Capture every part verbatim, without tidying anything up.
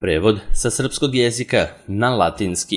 Prevod sa srpskog jezika na latinski.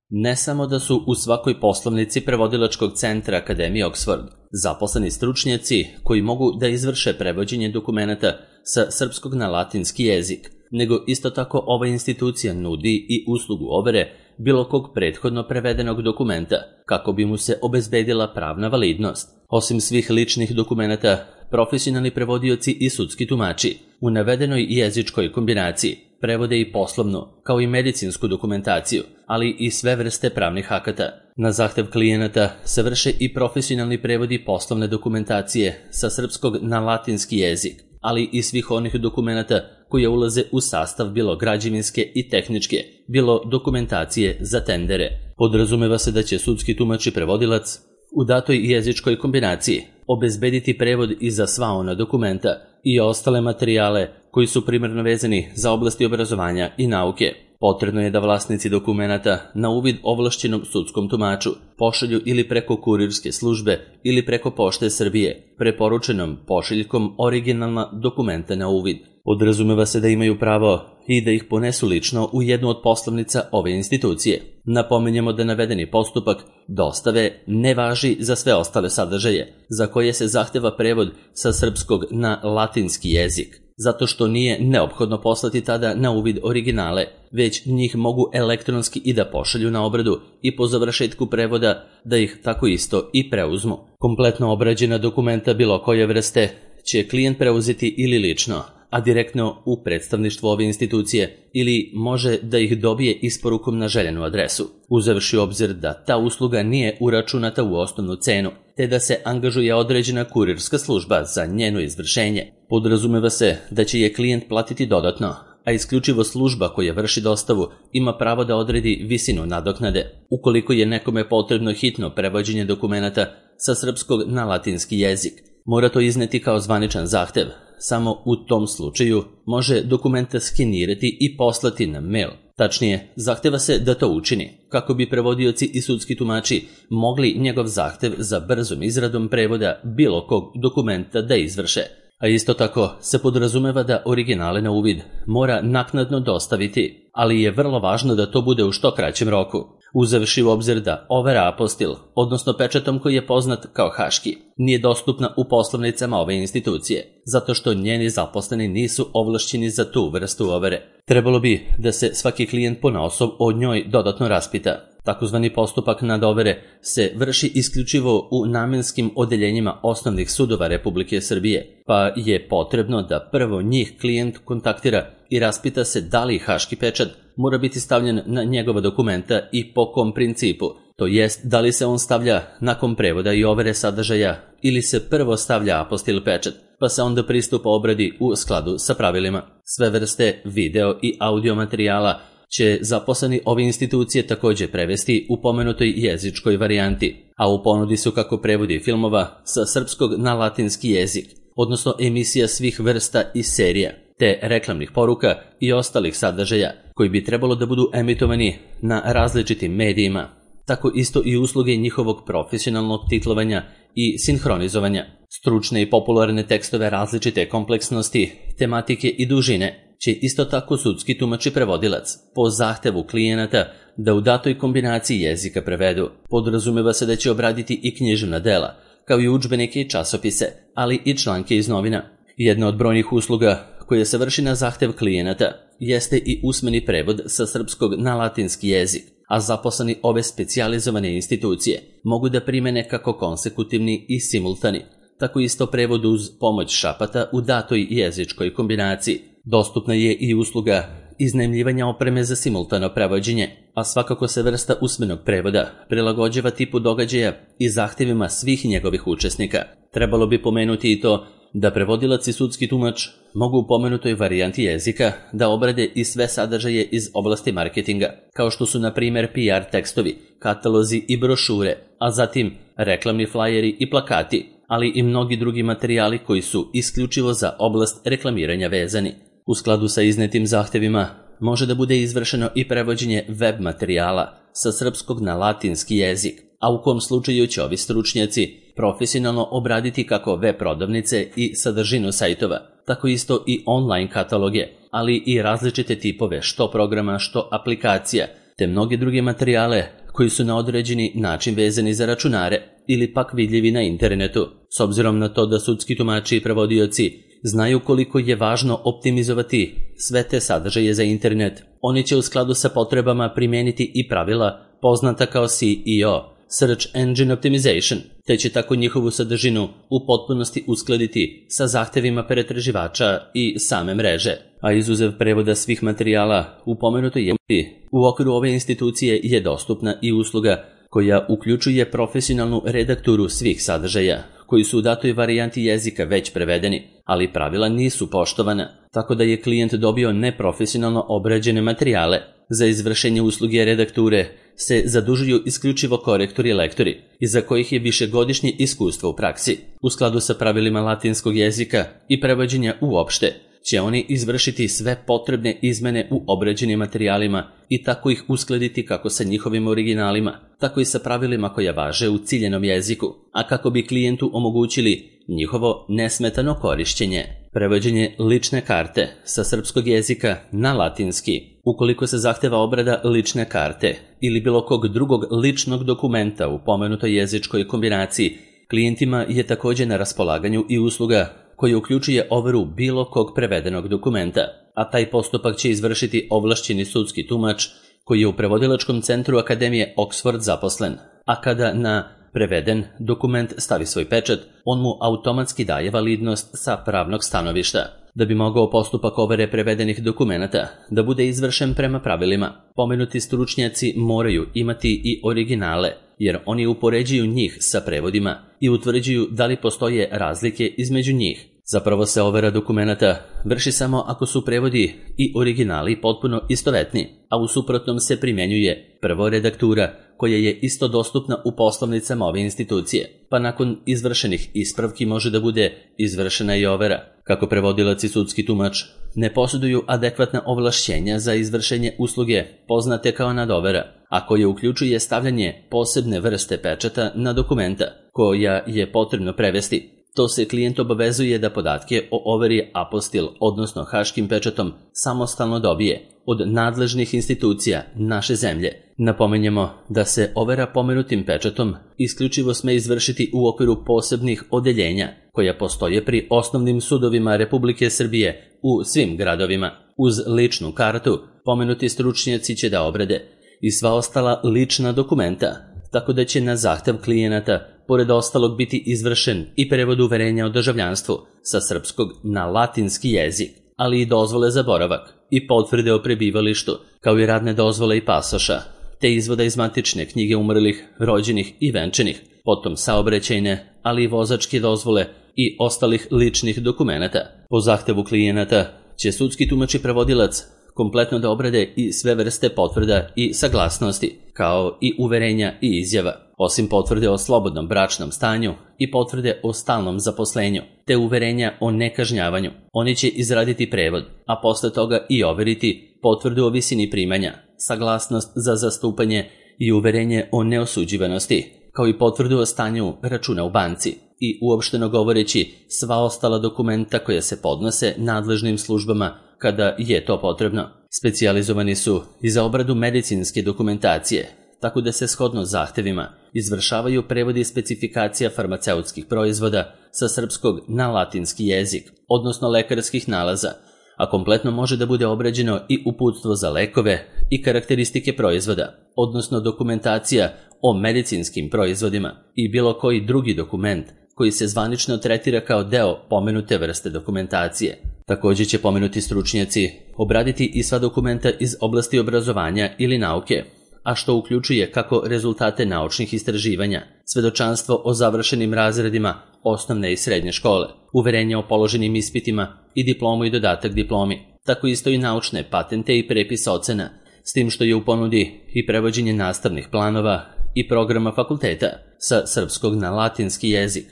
Ne samo da su u svakoj poslovnici prevodilačkog centra Akademije Oxford zaposleni stručnjaci koji mogu da izvrše prevođenje dokumenata sa srpskog na latinski jezik, nego isto tako ova institucija nudi i uslugu overe bilo kog prethodno prevedenog dokumenta kako bi mu se obezbedila pravna validnost. Osim svih ličnih dokumenata, profesionalni prevodioci i sudski tumači u navedenoj jezičkoj kombinaciji prevode i poslovnu, kao i medicinsku dokumentaciju, ali i sve vrste pravnih akata. Na zahtev klijenata se vrše i profesionalni prevodi poslovne dokumentacije sa srpskog na latinski jezik, ali i svih onih dokumenata koje ulaze u sastav bilo građevinske i tehničke, bilo dokumentacije za tendere. Podrazumeva se da će sudski tumač i prevodilac u datoj jezičkoj kombinaciji obezbediti prevod i za sva ona dokumenta i ostale materijale koji su primarno vezani za oblasti obrazovanja i nauke. Potrebno je da vlasnici dokumenata na uvid ovlašćenom sudskom tumaču pošalju ili preko kurirske službe ili preko Pošte Srbije preporučenom pošiljkom originalna dokumenta na uvid. Podrazumeva se da imaju pravo i da ih ponesu lično u jednu od poslovnica ove institucije. Napominjemo da navedeni postupak dostave ne važi za sve ostale sadržaje za koje se zahteva prevod sa srpskog na latinski jezik, zato što nije neophodno poslati tada na uvid originale, već njih mogu elektronski i da pošalju na obradu i po završetku prevoda da ih tako isto i preuzmu. Kompletno obrađena dokumenta bilo koje vrste će klijent preuzeti ili lično, a direktno u predstavništvu ove institucije, ili može da ih dobije isporukom na željenu adresu, uzevši u obzir da ta usluga nije uračunata u osnovnu cenu, te da se angažuje određena kurirska služba za njeno izvršenje. Podrazumeva se da će je klijent platiti dodatno, a isključivo služba koja vrši dostavu ima pravo da odredi visinu nadoknade. Ukoliko je nekome potrebno hitno prevođenje dokumenata sa srpskog na latinski jezik, mora to izneti kao zvaničan zahtev. Samo u tom slučaju može dokumenta skenirati i poslati na mail. Tačnije, zahteva se da to učini, kako bi prevodioci i sudski tumači mogli njegov zahtev za brzom izradom prevoda bilo kog dokumenta da izvrše. A isto tako se podrazumeva da originale na uvid mora naknadno dostaviti, ali je vrlo važno da to bude u što kraćem roku, uzevši u obzir da overa apostil, odnosno pečatom koji je poznat kao haški, nije dostupna u poslovnicama ove institucije, zato što njeni zaposleni nisu ovlašćeni za tu vrstu overe. Trebalo bi da se svaki klijent ponaosob o njoj dodatno raspita. Takozvani postupak nadovere se vrši isključivo u namenskim odeljenjima osnovnih sudova Republike Srbije, pa je potrebno da prvo njih klijent kontaktira i raspita se da li haški pečat mora biti stavljen na njegova dokumenta i po kom principu, to jest da li se on stavlja nakon prevoda i overe sadržaja ili se prvo stavlja apostil pečat, pa se onda pristupa obradi u skladu sa pravilima. Sve vrste video i audio materijala će zaposleni ove institucije također prevesti u pomenutoj jezičkoj varijanti, a u ponudi su kako prevodi filmova sa srpskog na latinski jezik, odnosno emisija svih vrsta i serija, te reklamnih poruka i ostalih sadržaja koji bi trebalo da budu emitovani na različitim medijima. Tako isto i usluge njihovog profesionalnog titlovanja i sinhronizovanja. Stručne i popularne tekstove različite kompleksnosti, tematike i dužine će isto tako sudski tumač i prevodilac po zahtevu klijenata da u datoj kombinaciji jezika prevedu. Podrazumeva se da će obraditi i književna dela, kao i udžbenike i časopise, ali i članke iz novina. Jedna od brojnih usluga koja se vrši na zahtev klijenata jeste i usmeni prevod sa srpskog na latinski jezik, a zaposleni ove specijalizovane institucije mogu da primene kako konsekutivni i simultani, tako isto prevod uz pomoć šapata u datoj jezičkoj kombinaciji. Dostupna je i usluga iznajmljivanja opreme za simultano prevođenje, a svakako se vrsta usmenog prevoda prilagođava tipu događaja i zahtevima svih njegovih učesnika. Trebalo bi pomenuti i to da prevodilac i sudski tumač mogu u pomenutoj varijanti jezika da obrade i sve sadržaje iz oblasti marketinga, kao što su na primjer P R tekstovi, katalozi i brošure, a zatim reklamni flajeri i plakati, ali i mnogi drugi materijali koji su isključivo za oblast reklamiranja vezani. U skladu sa iznetim zahtevima može da bude izvršeno i prevođenje web materijala sa srpskog na latinski jezik, a u kom slučaju će ovi stručnjaci profesionalno obraditi kako web prodavnice i sadržinu sajtova, tako isto i online kataloge, ali i različite tipove što programa, što aplikacija, te mnoge druge materijale koji su na određeni način vezani za računare ili pak vidljivi na internetu. S obzirom na to da sudski tumači i prevodioci znaju koliko je važno optimizovati sve te sadržaje za internet, oni će u skladu sa potrebama primijeniti i pravila poznata kao S E O, Search Engine Optimization, te će tako njihovu sadržinu u potpunosti uskladiti sa zahtevima pretraživača i same mreže. A izuzev prevoda svih materijala u pomenutoj jezika, u okviru ove institucije je dostupna i usluga koja uključuje profesionalnu redakturu svih sadržaja, koji su u datoj varijanti jezika već prevedeni, ali pravila nisu poštovana, tako da je klijent dobio neprofesionalno obrađene materijale. Za izvršenje usluge redakture se zadužuju isključivo korektori i lektori, iza kojih je višegodišnje iskustvo u praksi. U skladu sa pravilima latinskog jezika i prevođenja uopšte, će oni izvršiti sve potrebne izmene u obrađenim materijalima i tako ih uskladiti kako sa njihovim originalima, tako i sa pravilima koja važe u ciljenom jeziku, a kako bi klijentu omogućili njihovo nesmetano korišćenje. Prevođenje lične karte sa srpskog jezika na latinski. Ukoliko se zahteva obrada lične karte ili bilo kog drugog ličnog dokumenta u pomenutoj jezičkoj kombinaciji, klijentima je također na raspolaganju i usluga koja uključuje overu bilo kog prevedenog dokumenta, a taj postupak će izvršiti ovlašćeni sudski tumač koji je u prevodilačkom centru Akademije Oxford zaposlen, a kada na preveden dokument stavi svoj pečat, on mu automatski daje validnost sa pravnog stanovišta. Da bi mogao postupak overe prevedenih dokumenata da bude izvršen prema pravilima, pomenuti stručnjaci moraju imati i originale, jer oni upoređuju njih sa prevodima i utvrđuju da li postoje razlike između njih. Zapravo se overa dokumenata vrši samo ako su prevodi i originali potpuno istovetni, a u suprotnom se primjenjuje prvo redaktura koja je isto dostupna u poslovnicama ove institucije, pa nakon izvršenih ispravki može da bude izvršena i overa. Kako prevodilac i sudski tumač ne posjeduju adekvatna ovlašćenja za izvršenje usluge poznate kao nadovera, a koje uključuje stavljanje posebne vrste pečata na dokumenta koja je potrebno prevesti. To se klijent obavezuje da podatke o overi apostil, odnosno haškim pečatom, samostalno dobije od nadležnih institucija naše zemlje. Napomenjemo da se overa pomenutim pečatom isključivo sme izvršiti u okviru posebnih odeljenja koja postoje pri osnovnim sudovima Republike Srbije u svim gradovima. Uz ličnu kartu pomenuti stručnjaci će da obrade i sva ostala lična dokumenta, tako da će na zahtev klijenata pored ostalog biti izvršen i prevod uverenja o državljanstvu sa srpskog na latinski jezik, ali i dozvole za boravak i potvrde o prebivalištu, kao i radne dozvole i pasoša, te izvoda iz matične knjige umrlih, rođenih i venčanih, potom saobraćajne, ali i vozačke dozvole i ostalih ličnih dokumenata. Po zahtevu klijenata će sudski tumač i prevodilac kompletno da obrade i sve vrste potvrda i saglasnosti, kao i uverenja i izjava, osim potvrde o slobodnom bračnom stanju i potvrde o stalnom zaposlenju, te uverenja o nekažnjavanju. Oni će izraditi prevod, a posle toga i overiti potvrdu o visini primanja, saglasnost za zastupanje i uverenje o neosuđivanosti, kao i potvrdu o stanju računa u banci i uopšteno govoreći sva ostala dokumenta koja se podnose nadležnim službama kada je to potrebno. Specijalizovani su i za obradu medicinske dokumentacije, tako da se shodno zahtevima izvršavaju prevodi specifikacija farmaceutskih proizvoda sa srpskog na latinski jezik, odnosno lekarskih nalaza, a kompletno može da bude obrađeno i uputstvo za lekove i karakteristike proizvoda, odnosno dokumentacija o medicinskim proizvodima i bilo koji drugi dokument koji se zvanično tretira kao deo pomenute vrste dokumentacije. Također će pomenuti stručnjaci obraditi i sva dokumenta iz oblasti obrazovanja ili nauke, a što uključuje kako rezultate naučnih istraživanja, svedočanstvo o završenim razredima osnovne i srednje škole, uverenje o položenim ispitima i diplomu i dodatak diplomi, tako isto i naučne patente i prepis ocena, s tim što je u ponudi i prevođenje nastavnih planova i programa fakulteta sa srpskog na latinski jezik,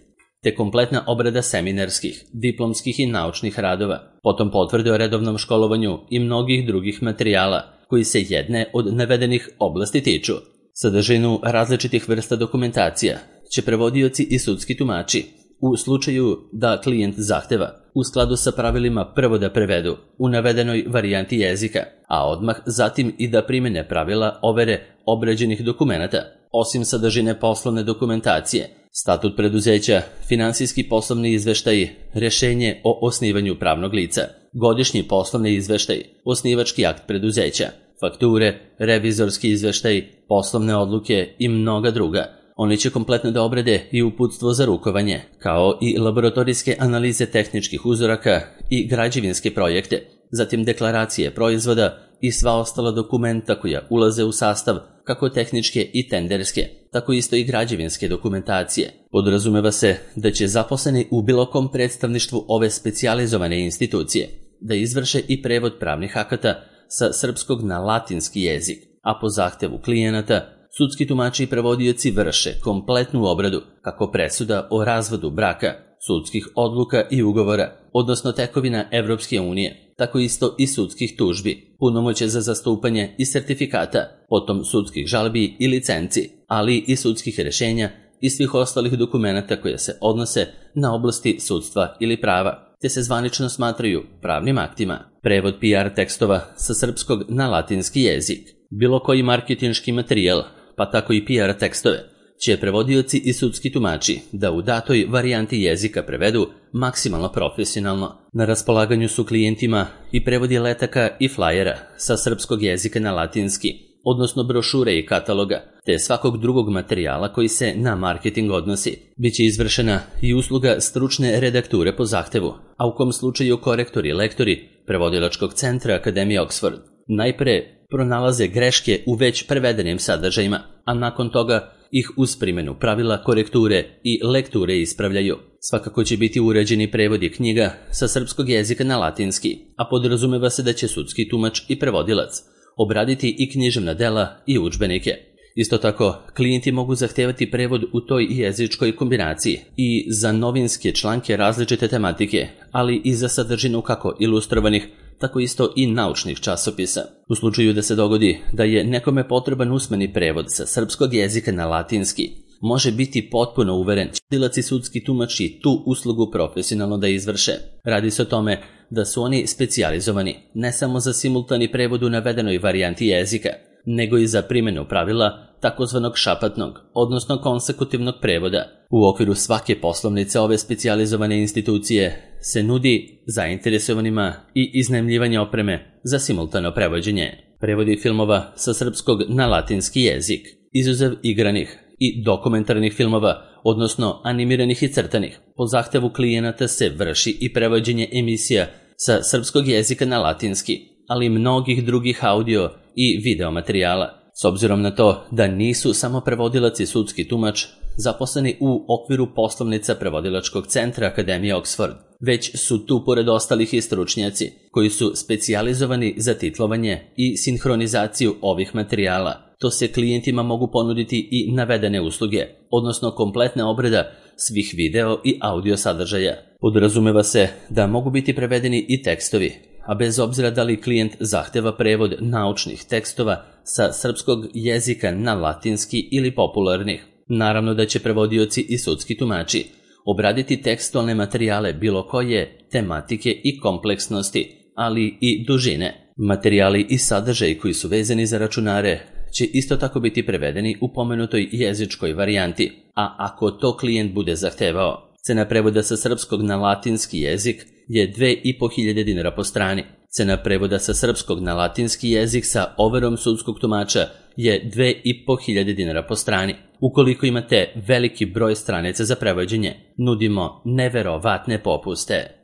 te kompletna obrada seminarskih, diplomskih i naučnih radova, potom potvrde o redovnom školovanju i mnogih drugih materijala koji se jedne od navedenih oblasti tiču. Sadržinu različitih vrsta dokumentacija će prevodioci i sudski tumači u slučaju da klijent zahteva u skladu sa pravilima prvo da prevedu u navedenoj varijanti jezika, a odmah zatim i da primene pravila overe obrađenih dokumenata, osim sadržine poslovne dokumentacije, statut preduzeća, finansijski poslovni izveštaji, rešenje o osnivanju pravnog lica, godišnji poslovni izveštaj, osnivački akt preduzeća, fakture, revizorski izveštaj, poslovne odluke i mnoga druga. Oni će kompletno da obrade i uputstvo za rukovanje, kao i laboratorijske analize tehničkih uzoraka i građevinske projekte, zatim deklaracije proizvoda i sva ostala dokumenta koja ulaze u sastav kako tehničke i tenderske, tako isto i građevinske dokumentacije. Podrazumeva se da će zaposleni u bilo kom predstavništvu ove specijalizovane institucije da izvrše i prevod pravnih akata sa srpskog na latinski jezik, a po zahtevu klijenata sudski tumači i prevodioci vrše kompletnu obradu kako presuda o razvodu braka, sudskih odluka i ugovora, odnosno tekovina Evropske unije, tako isto i sudskih tužbi, punomoće za zastupanje i sertifikata, potom sudskih žalbi i licenci, ali i sudskih rešenja i svih ostalih dokumenata koje se odnose na oblasti sudstva ili prava, te se zvanično smatraju pravnim aktima. Prevod P R tekstova sa srpskog na latinski jezik, bilo koji marketinški materijal, pa tako i P R tekstove, će prevodioci i sudski tumači da u datoj varijanti jezika prevedu maksimalno profesionalno. Na raspolaganju su klijentima i prevodi letaka i flajera sa srpskog jezika na latinski, odnosno brošure i kataloga, te svakog drugog materijala koji se na marketing odnosi. Biće izvršena i usluga stručne redakture po zahtevu, a u kom slučaju korektori i lektori prevodilačkog centra Akademije Oxford najpre pronalaze greške u već prevedenim sadržajima, a nakon toga ih uz primjenu pravila korekture i lekture ispravljaju. Svakako će biti uređeni prevodi knjiga sa srpskog jezika na latinski, a podrazumeva se da će sudski tumač i prevodilac obraditi i književna dela i udžbenike. Isto tako, klijenti mogu zahtevati prevod u toj jezičkoj kombinaciji i za novinske članke različite tematike, ali i za sadržinu kako ilustrovanih, tako isto i naučnih časopisa. U slučaju da se dogodi da je nekome potreban usmeni prevod sa srpskog jezika na latinski, može biti potpuno uveren da će sudski tumači tu uslugu profesionalno da izvrše. Radi se o tome da su oni specijalizovani ne samo za simultani prevod u navedenoj varijanti jezika, nego i za primjenu pravila takozvanog šapatnog, odnosno konsekutivnog prevoda. U okviru svake poslovnice ove specijalizovane institucije se nudi zainteresovanima i iznajmljivanje opreme za simultano prevođenje. Prevodi filmova sa srpskog na latinski jezik, izuzev igranih i dokumentarnih filmova, odnosno animiranih i crtanih. Po zahtevu klijenata se vrši i prevođenje emisija sa srpskog jezika na latinski, ali i mnogih drugih audio i video materijala. S obzirom na to da nisu samo prevodilac i sudski tumač zaposleni u okviru poslovnica prevodilačkog centra Akademije Oxford, već su tu pored ostalih i stručnjaci koji su specijalizovani za titlovanje i sinhronizaciju ovih materijala. To se klijentima mogu ponuditi i navedene usluge, odnosno kompletna obrada svih video i audio sadržaja. Podrazumeva se da mogu biti prevedeni i tekstovi, a bez obzira da li klijent zahteva prevod naučnih tekstova sa srpskog jezika na latinski ili popularnih. Naravno da će prevodioci i sudski tumači obraditi tekstualne materijale bilo koje tematike i kompleksnosti, ali i dužine. Materijali i sadržaji koji su vezani za računare će isto tako biti prevedeni u pomenutoj jezičkoj varijanti, a ako to klijent bude zahtevao, cena prevoda sa srpskog na latinski jezik je dve i po hiljade dinara po strani. Cena prevoda sa srpskog na latinski jezik sa overom sudskog tumača je dve i po hiljade dinara po strani. Ukoliko imate veliki broj stranica za prevođenje, nudimo neverovatne popuste.